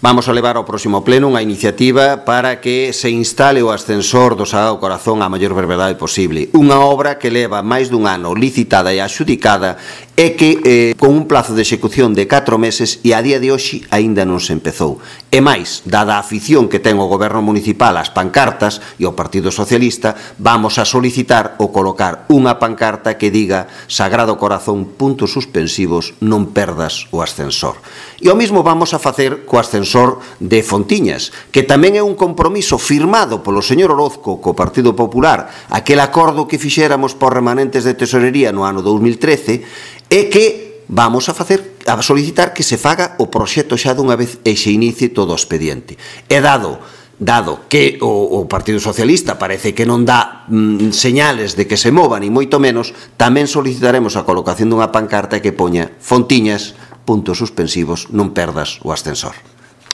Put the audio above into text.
Vamos a levar ao próximo pleno unha iniciativa para que se instale o ascensor do Sagrado Corazón á maior brevedade posible. Unha obra que leva máis dun ano licitada e adxudicada e que con un plazo de execución de 4 meses e a día de hoxe aínda non se empezou. E máis, dada a afición que ten o Goberno Municipal ás pancartas e o Partido Socialista, vamos a solicitar o colocar unha pancarta que diga Sagrado Corazón, puntos suspensivos, non perdas o ascensor. E o mesmo vamos a facer co ascensor de Fontiñas, que tamén é un compromiso firmado polo señor Orozco co Partido Popular, aquel acordo que fixéramos por remanentes de tesorería no ano 2013, e que vamos a solicitar que se faga o proxecto xa dunha vez e se inicie todo o expediente. E dado que o Partido Socialista parece que non dá señales de que se mova, ni moito menos, tamén solicitaremos a colocación dunha pancarta que poña Fontiñas, puntos suspensivos, non perdas o ascensor.